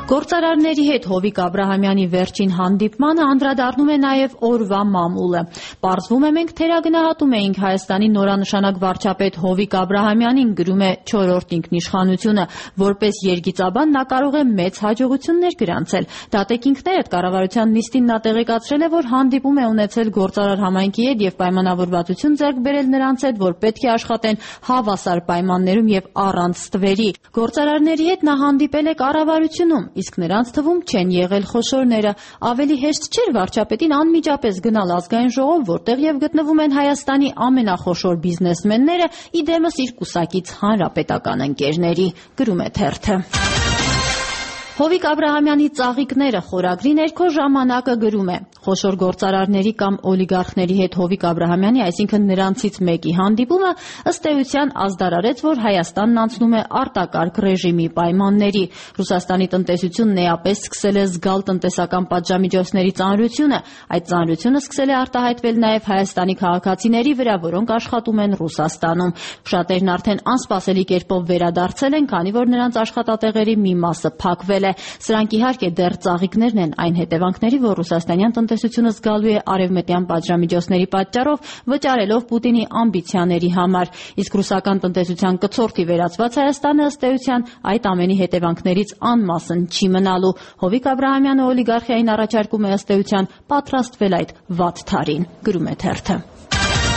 Գործարարների հետ Հովիկ Աբրահամյանի վերջին հանդիպմանը անդրադառնում է նաև օրվա մամուլը։ Պարզվում է, մենք թերագնահատում էինք Հայաստանի նորանշանակ վարչապետ Հովիկ Աբրահամյանին, գրում է 4-րդ ինքնիշխանությունը, որպես երգիծաբան նա կարող է մեծ հաջողություններ գրանցել։ Դատեկինքներդ կառավարության նիստին նա տեղեկացրել է, որ հանդիպում է ունեցել գործարար համայնքի հետ եւ պայմանավորվածություն ձեռք բերել նրանց հետ, որ պետք է աշխատեն հավասար պայմաններում եւ առանց ստվերի։ Գործարարների հետ նա հանդիպել է կառավարությունում, իսկ նրանց թվում չեն եղել խոշորները։ Ավելի հեշտ չէր վարչապետին անմիջապես գնալ ազգային ժողով, որտեղ եւ գտնվում են Հայաստանի ամենախոշոր բիզնեսմենները, իդեմս իր կուսակից հանրապետական ընկերների, գրում է թերթը։ Հովիկ Աբրահամյանի ծաղիկները խորագրի ներքո ժամանակը գրում է. խոշոր գործարարների կամ օլիգարխների հետ Հովիկ Աբրահամյանի, այսինքն նրանցից մեկի հանդիպումը ըստ էության ազդարարեց, որ Հայաստանն անցնում է արտակարգ ռեժիմի պայմանների։ Ռուսաստանի տնտեսությունն էապես սկսել է զգալ տնտեսական պատժամիջոցների ծանրությունը։ Այդ ծանրությունը սկսել է արտահայտվել նաև Հայաստանի քաղաքացիների վրա, որոնք աշխատում են Ռուսաստանում։ Շատերն արդեն անսպասելի կերպով վերադարձել են, քանի որ նրանց աշխատատեղերի մի մասը փակվել է։ Սրանք իհարկե դեռ ծաղիկներն են այն հետևանքների, որ ռուսաստանյան տնտեսությունը զգալու է արևմտյան պատժամիջոցների պատճառով, վճարելով Պուտինի ամբիցիաների համար։ Իսկ ռուսական տնտեսության կցորդի վերածված Հայաստանը ըստ էության այդ ամենի հետևանքներից անմասն չի մնալու։ Հովիկ Աբրահամյանը օլիգարխիային առաջարկում է ըստ էության պատրաստվել այդ վատ թարին, գրում է թերթը։